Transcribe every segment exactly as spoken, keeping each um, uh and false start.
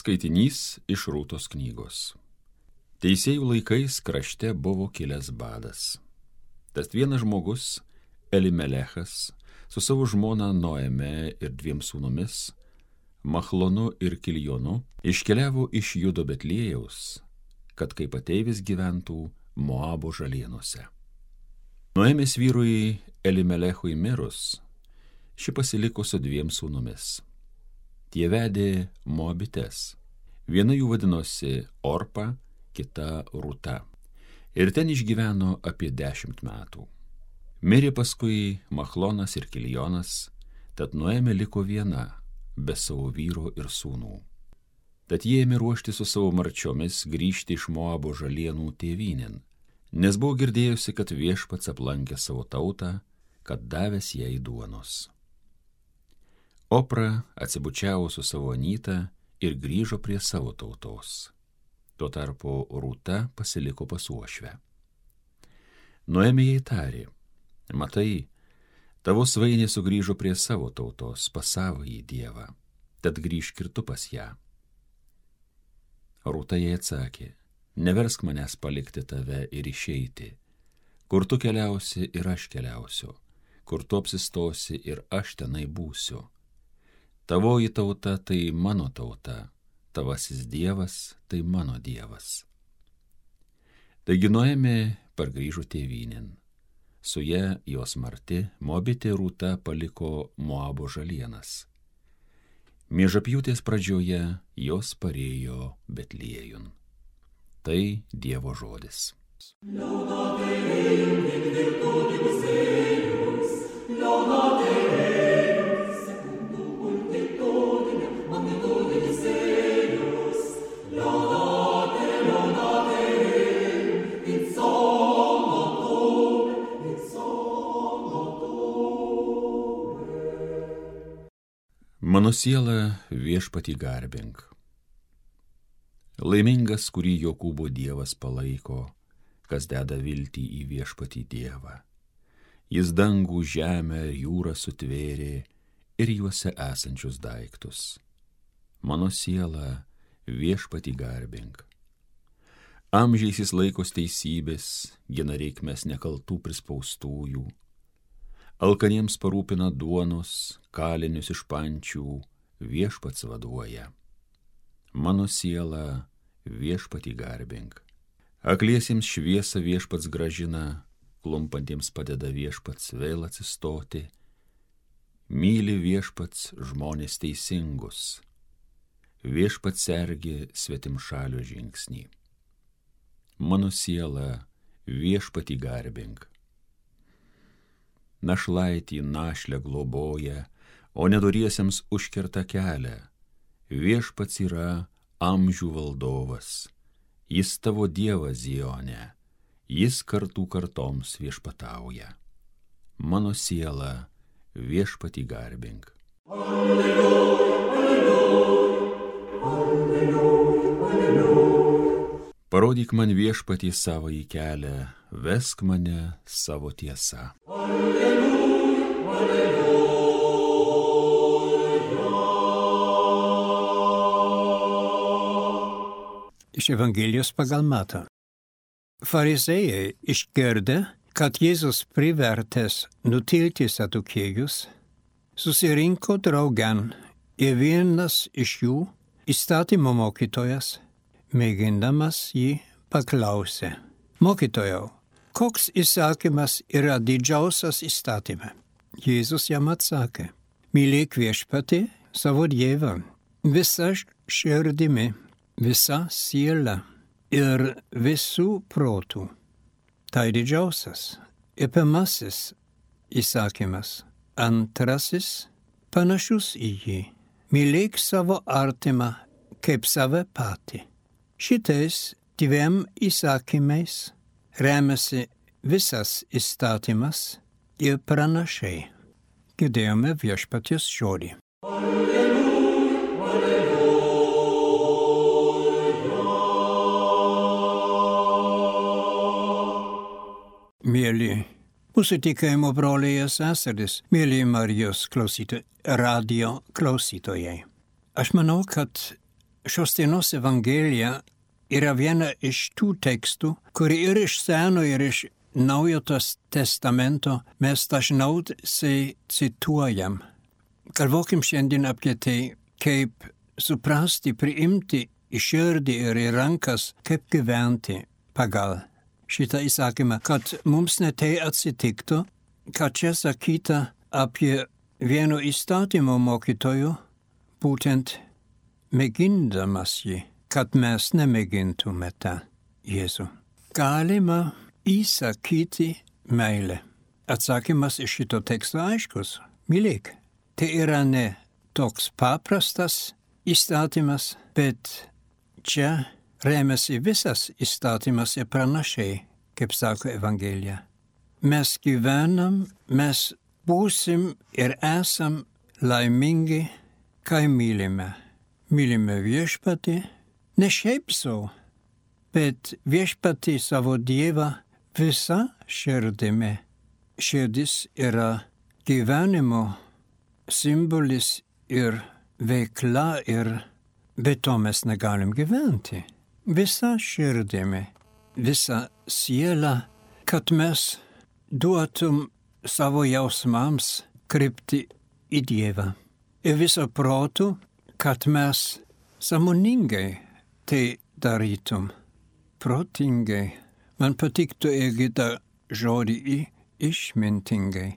Skaitinys iš Rūtos knygos. Teisėjų laikais krašte buvo kilęs badas. Tas vienas žmogus, Elimelechas, su savo žmona Noeme ir dviem sūnumis, Machlonu ir Kiljonu, iškeliavo iš Judo Betliejaus, kad kaip ateivis gyventų Moabo žalienuose. Noemės vyrui Elimelechui mirus, ši pasiliko su dviem sūnumis. Tie vedė Moabites. Viena jų vadinosi Orpa, kita Rūta. Ir ten išgyveno apie dešimt metų. Mirė paskui Machlonas ir Kiljonas, tad Noemė liko viena, be savo vyro ir sūnų. Tad jie ėmė ruošti su savo marčiomis grįžti iš Moabo žalienų tėvynėn, nes buvo girdėjusi, kad viešpats aplankė savo tautą, kad davęs jai duonos. Opra atsibučiavo su savo anyta ir grįžo prie savo tautos. Tuo tarpu Rūta pasiliko pas uošvę. Noemė jai tarė: matai, tavo svainė sugrįžo prie savo tautos, pas savąjį dievą, tad grįžk ir tu pas ją. Rūta jai atsakė: neversk manęs palikti tave ir išeiti. Kur tu keliausi ir aš keliausiu, kur tu apsistosi ir aš tenai būsiu. Tavoji tauta tai mano tauta, tavasis dievas tai mano dievas. Taigi Noemė pargrįžo tėvynėn. Su ja jos marti Moabitė Rūta paliko Moabo žalienas. Miežapjūtės pradžioje jos parėjo Betliejun. Tai Dievo žodis. Mano siela viešpatį garbink. Laimingas, kurį Jokūbo Dievas palaiko, kas deda viltį į viešpatį Dievą. Jis dangų, žemę ir jūrą sutvėrė ir juose esančius daiktus. Mano siela viešpatį garbink. Amžiais jis laikos teisybės, gina reikmes nekaltų prispaustųjų. Alkaniems parūpina duonos, kalinius iš pančių, viešpats vaduoja. Mano siela viešpatį garbink. Akliesiems šviesą viešpats gražina, klumpantiems padeda viešpats vėl atsistoti. Myli viešpats žmonės teisingus. Viešpats sergi svetimšalio žingsnį. Mano siela viešpatį garbink. Našlaitį našlę globoja, o nedoriesiems užkerta kelią. Viešpats yra amžių valdovas. Jis tavo Dievas Zione. Jis kartų kartoms viešpatauja. Mano siela viešpatį garbink. Alleluja, alleluja, alleluja, alleluja. Parodyk man viešpatį savąjį kelią, vesk mane savo tiesa. Alleluja, alleluja. Iš Evangelijos pagal Matą. Farizėjai išgirdę, kad Jėzus privertęs nutilti sadukėjus, susirinko draugen ir vienas iš jų, įstatymo mokytojas, mėgindamas jį paklausė: mokytojau, koks įsakymas yra didžiausias įstatyme? Jėzus jam atsakė: mylėk viešpatį savo Dievą visa širdimi, visa siela ir visų protų. Tai didžiausias ir pirmasis įsakymas. Antrasis panašus į jį: mylėk savo artimą kaip save patį. Šitais dviem įsakymais remiasi visas įstatymas ir pranašai. Girdėjome viešpaties žodį. Alleluja, alleluja. Mėly mūsų tikėjimo broliai ir seserys, mėly Marijos klausytojai, radio klausytojai. Aš manau, kad šios dienos Evangelija yra viena iš tų tekstų, kuri ir iš Seno, ir iš Naujo testamento mes dažniausiai cituojam. Galvokim šiandien apie tai, kaip suprasti, priimti į širdį ir į rankas, kaip gyventi pagal šitą įsakymą, kad mums netai atsitiktų, kad čia sakyta apie vieno įstatymo mokytojų, būtent mėgindamas jį, kad mes nemėgintume tą Jėzų. Galima įsakyti meilę. Atsakymas iš šito teksto aiškus. Mylėk. Tai yra ne toks paprastas įstatymas, bet čia remiasi visas įstatymas ir pranašiai, kaip sako Evangelija. Mes gyvenam, mes būsim ir esam laimingi, kai mylime. Mylime viešpatį, ne šiaip sau, bet viešpatį savo Dievą visa širdimi. Širdis yra gyvenimo simbolis ir veikla, ir be to mes negalim gyventi. Visa širdimi, visa siela, kad mes duotum savo jausmams krypti į Dievą. Ir viso protų, kad mes sąmoningai tai darytum. Protingai. Man patiktų irgi tą žodį į išmintingai.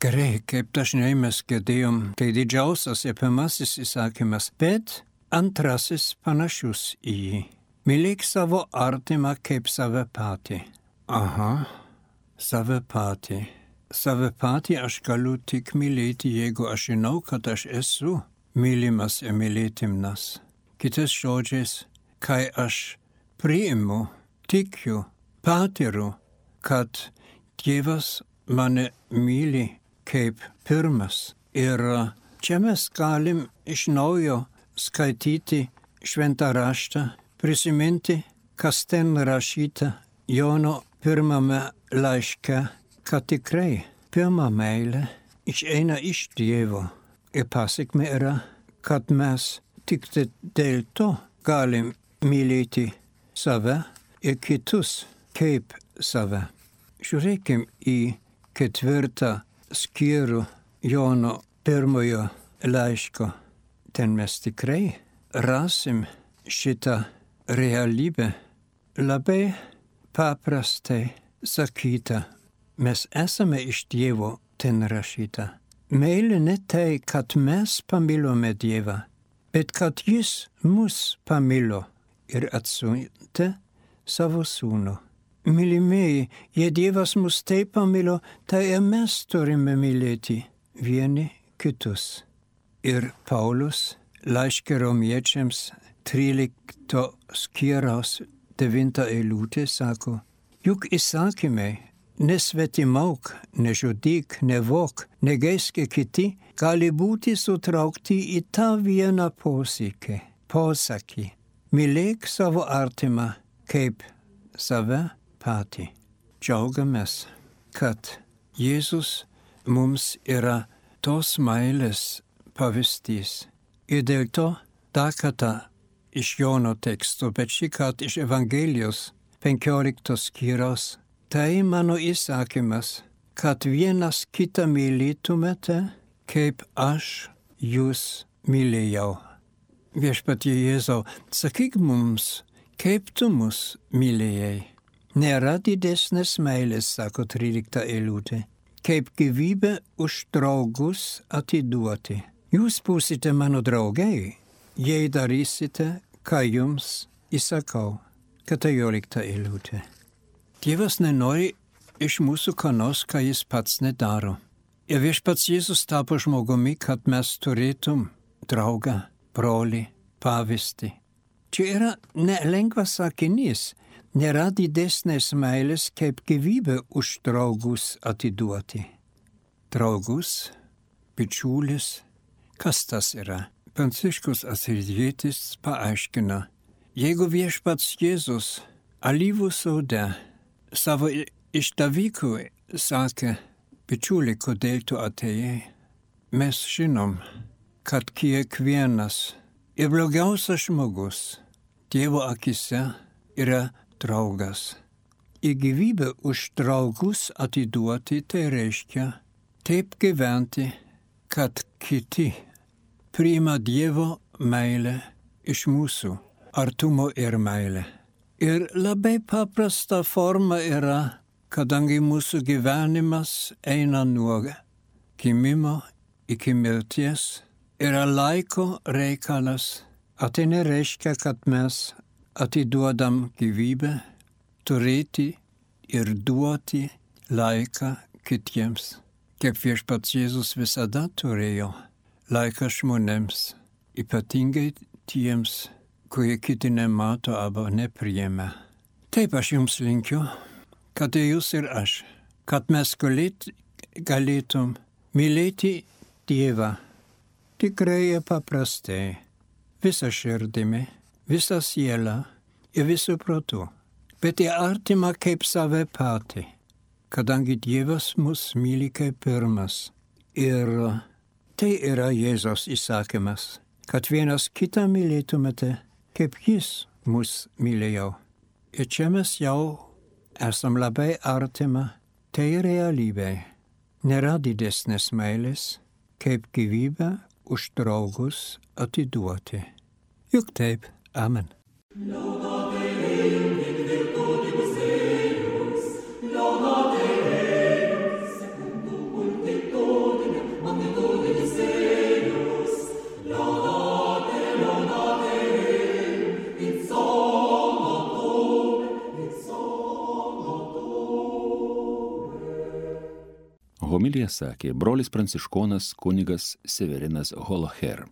Gerai, kaip dažnai mes girdėjom, tai didžiausias ir pirmasis įsakymas, bet antrasis panašus į jį. Mylėk savo artimą kaip save patį. Aha, save patį. Save patį aš galiu tik mylėti, jeigu aš žinau, kad aš esu mylimas ir mylėtimnas. Kitais žodžiais, kai aš priimu, tikiu, patiriu, kad Dievas mane myli kaip pirmas. Ir čia mes galim iš naujo skaityti šventą raštą, prisiminti, kas ten rašyta Jono pirmame laiške, kad tikrai pirma meilė išeina iš Dievo. Ir pasekmė yra, kad mes tik dėl to galim mylėti save ir kitus kaip save. Žiūrėkim į ketvirtą skyrių Jono pirmojo laiško. Ten mes tikrai rasim šitą realybę. Labai paprastai sakyta, mes esame iš Dievo, ten rašyta. Meilė ne tai, kad mes pamilome Dievą, bet kad Jis mus pamilo ir atsiuntė savo sūnų. Mylimieji, jei Dievas mus taip pamilo, tai ir mes turime mylėti vieni kitus. Ir Paulius laiške romiečiams trylikto skyriaus devinta eilutė sako, juk įsakymai nesvetimauk, nežudyk, nevok, negeisk kiti, gali būti sutraukti į tą vieną posakį, posakį. Mylėk savo artimą kaip save patį. Džiaugiamės, kad Jėzus mums yra tos meilės pavyzdys. Ir dėl to dar kartą iš Jono teksto, bet šį kartą iš Evangelijos penkioliktos skyriaus. Tai mano įsakymas, kad vienas kitą mylėtumėte, kaip aš jūs mylėjau. Viešpatie Jėzau, sakyk mums, kaip tu mus mylėjai. Nėra didesnės meilės, sako trylikta eilutė, kaip gyvybę už draugus atiduoti. Jūs būsite mano draugai, jei darysite, ką jums įsakau. keturiolikta eilutė. Dievas nenori iš mūsų ką nors, ką jis pats nedaro. Ir viešpats Jėzus tapo žmogumi, kad mes turėtum draugą, brolį, pavyzdį. Čia yra nelengvas sakinys. Nėra didesnės meilės, kaip gyvybę už draugus atiduoti. Draugus, bičiulis, kas tas yra? Pranciškus Asizietis paaiškina, jeigu viešpats Jėzus alyvų sode savo išdavikui sakė, bičiuli, kodėl tu atėjai, mes žinom, kad kiekvienas Ir blogiausias žmogus Dievo akise yra draugas. Į gyvybę už draugus atiduoti tai reiškia taip gyventi, kad kiti priima Dievo meilę iš mūsų, artumo ir meilę. Ir labai paprasta forma yra, kadangi mūsų gyvenimas eina nuo gimimo iki mirties, yra laiko reikalas. O tai nereiškia, kad mes atiduodam gyvybę, turėti ir duoti laiką kitiems. Kaip viešpats Jėzus visada turėjo laiką žmonėms, ypatingai tiems, kurie kiti nemato arba nepriėmė. Taip aš jums linkiu, kad jūs ir aš, kad mes galėt, galėtum mylėti Dievą tikrai ir paprastai, visą širdimi, visą sielą ir visų protų, bet ir artimą kaip save patį, kadangi Dievas mus myli kaip pirmas. Ir tai yra Jėzaus įsakymas, kad vienas kitą mylėtumėte, kaip jis mus mylėjo. Ir čia mes jau esam labai artima, tai realybė. Nėra didesnės meilės, kaip gyvybę už draugus atiduoti. Juk taip, amen. Homiliją sakė brolis pranciškonas kunigas Severinas Holoher.